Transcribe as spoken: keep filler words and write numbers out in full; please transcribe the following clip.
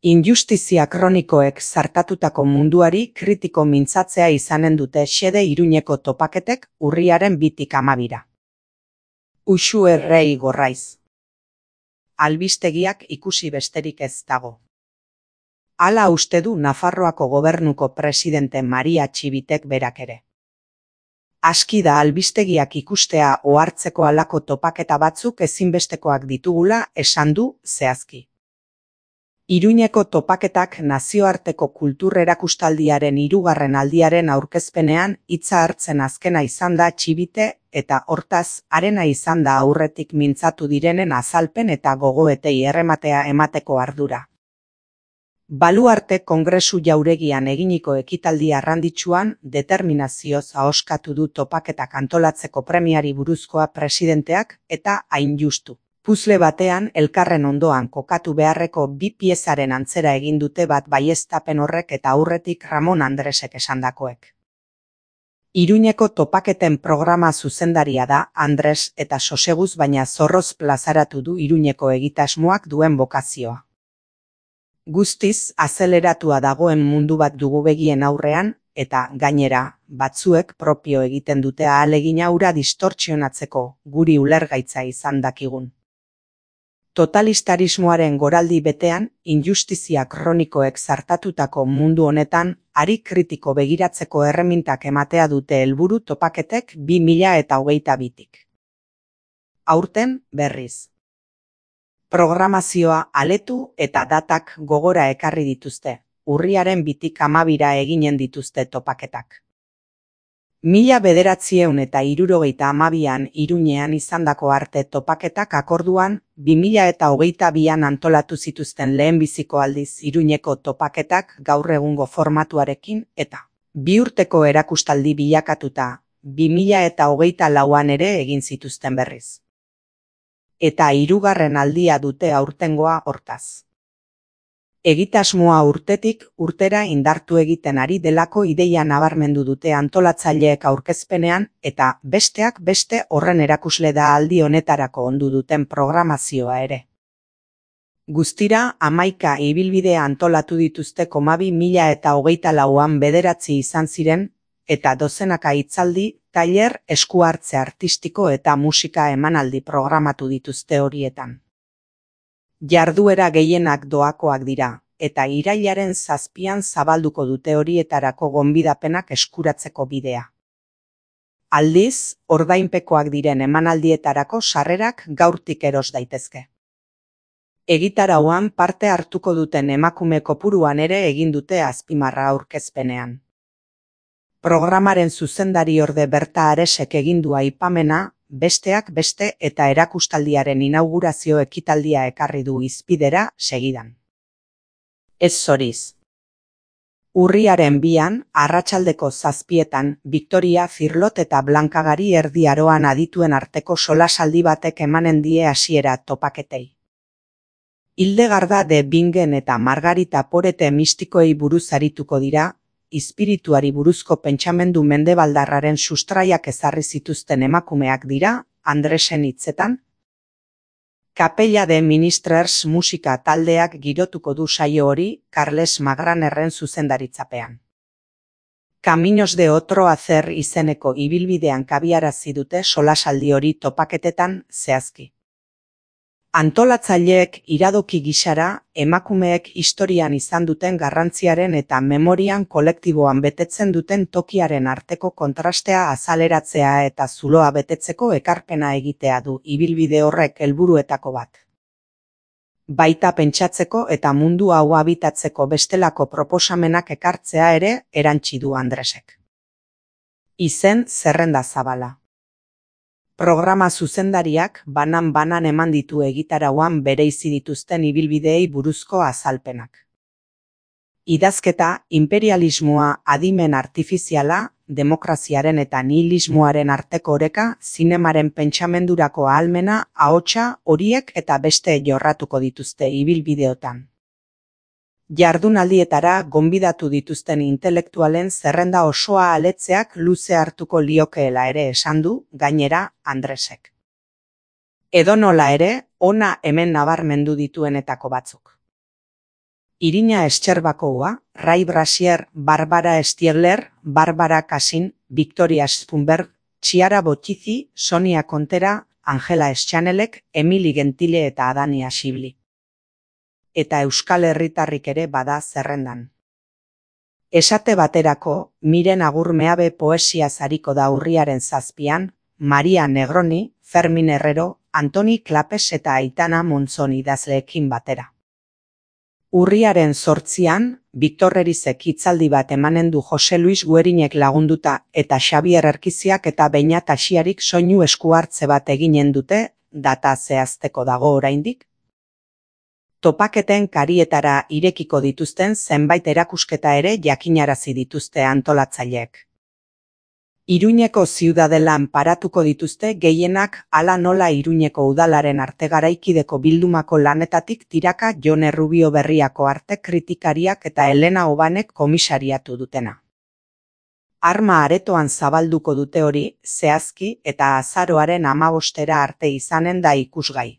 Injustizia kronikoek zartatutako munduari kritiko mintzatzea izanen dute xede Iruñeko topaketek urriaren bitik amabira. Uxu errei gorraiz. Albistegiak ikusi besterik ez dago. Hala uste du Nafarroako gobernuko presidente Maria Txibitek berak ere. Aski da albistegiak ikustea ohartzeko halako topaketa batzuk ezinbestekoak ditugula esan du zehazki. Iruñeko topaketak nazioarteko kultur erakustaldiaren hirugarren aldiaren aurkezpenean hitza hartzen azkena izan da Txibite eta hortaz harena izan da aurretik mintzatu direnen azalpen eta gogoetei errematea emateko ardura. Baluarte Kongresu Jauregian eginiko ekitaldi arranditsuan determinazioz ahoskatu du topaketak antolatzeko premiari buruzkoa presidenteak eta hain justu. Puzle batean elkarren ondoan kokatu beharreko bi piezaren antzera egin dute bat baieztapen horrek eta aurretik Ramon Andresek esandakoek. Iruñeko topaketen programa zuzendaria da Andres eta soseguz baina zorroz plazaratu du Iruñeko egitasmoak duen bokazioa. Guztiz azaleratua dagoen mundu bat dugu begien aurrean, eta gainera, batzuek propio egiten dute ahalegina hura distortzionatzeko guri ulergaitza izan dakigun. Totalistarismoaren goraldi betean, injustizia kronikoek zartatutako mundu honetan, ari kritiko begiratzeko erremintak ematea dute helburu topaketek bi mila hogeita bitik. Aurten, berriz. Programazioa aletu eta datak gogora ekarri dituzte, urriaren bitik amabira eginen dituzte topaketak. Mila bederatziehun eta hirurogeita hamabian Iruñean izandako arte topaketak akorduan, bi mila hogeita bian antolatu zituzten lehenbiziko aldiz Iruñeko topaketak gaur egungo formatuarekin eta bi urteko erakustaldi bilakatuta, bi mila hogeita lauan ere egin zituzten berriz. Eta hirugarren aldia dute aurtengoa hortaz. Egitasmoa urtetik urtera indartu egiten ari delako ideia nabarmendu dute antolatzaileek aurkezpenean eta besteak beste horren erakusle da aldi honetarako ondu duten programazioa ere. Guztira hamaika ibilbide antolatu dituzte komabi mila eta hogeita lauan bederatzi izan ziren eta dozenaka hitzaldi, tailer, esku hartze artistiko eta musika emanaldi programatu dituzte horietan. Jarduera gehienak doakoak dira, eta irailaren zazpian zabalduko dute horietarako gonbidapenak eskuratzeko bidea. Aldiz, ordainpekoak diren emanaldietarako sarrerak gaurtik eros daitezke. Egitarauan parte hartuko duten emakume kopuruan ere egin dute azpimarra aurkezpenean. Programaren zuzendari orde Berta Aresek egindua aipamena, besteak beste eta erakustaldiaren inaugurazio ekitaldia ekarri du hizpidera segidan. Ez zoriz. Urriaren bian, arratsaldeko zazpietan, Victoria Firlot eta Blankagari Erdi Aroan adituen arteko solasaldi batek emanen die hasiera topaketei. Hildegarda de Bingen eta Margarita Porete mistikoei buruz arituko dira, izpirituari buruzko pentsamendu mendebaldarraren sustraiak ezarri zituzten emakumeak dira, Andresen hitzetan. Kapella de Ministrers musika taldeak girotuko du saio hori Carles Magranerren zuzendaritzapean. Caminos de otro hacer izeneko ibilbidean kabiarazi dute solasaldi hori topaketetan zehazki. Antolatzaileek iradoki gisara, emakumeek historian izan duten garrantziaren eta memorian kolektiboan betetzen duten tokiaren arteko kontrastea azaleratzea eta zuloa betetzeko ekarpena egitea du ibilbide horrek helburuetako bat. Baita pentsatzeko eta mundu hau habitatzeko bestelako proposamenak ekartzea ere erantsi du Andresek. Izen zerrenda zabala. Programa zuzendariak banan-banan eman ditu egitarauan bereizi dituzten ibilbideei buruzko azalpenak. Idazketa, imperialismoa, adimen artifiziala, demokraziaren eta nihilismoaren arteko oreka, zinemaren pentsamendurako ahalmena, ahotsa, horiek eta beste jorratuko dituzte ibilbideotan. Jardunaldietara gonbidatu dituzten intelektualen zerrenda osoa aletzeak luze hartuko liokeela ere esan du, gainera, Andresek. Edonola ere, ona hemen nabarmendu dituenetako batzuk. Irina Estxerbakoa, Ray Brasier, Barbara Stiegler, Barbara Cassin, Victoria Spunberg, Chiara Bottizi, Sonia Kontera, Angela Eschanelek, Emily Gentile eta Adania Xibli. Eta Euskal Herritarrik ere bada zerrendan. Esate baterako, Miren Agurmeabe poesia zariko da urriaren zazpian, Maria Negroni, Fermin Herrero, Antoni Klapes eta Aitana Montzon idazleekin batera. Urriaren zortzian, Victor Erizek hitzaldi bat emanen du Jose Luis Guerinek lagunduta eta Xabier Erkiziak eta Beñat Asiarik soinu eskuhartze bat eginen dute, data zehazteko dago oraindik. Topaketen karietara irekiko dituzten zenbait erakusketa ere jakinarazi dituzte antolatzaileek. Iruñeko ziudadelan paratuko dituzte gehienak hala nola Iruñeko udalaren arte garaikideko bildumako lanetatik tiraka Jon Errubio Berriako arte kritikariak eta Elena Obanek komisariatu dutena. Arma aretoan zabalduko dute hori, zehazki eta azaroaren hamabostera arte izanen da ikusgai.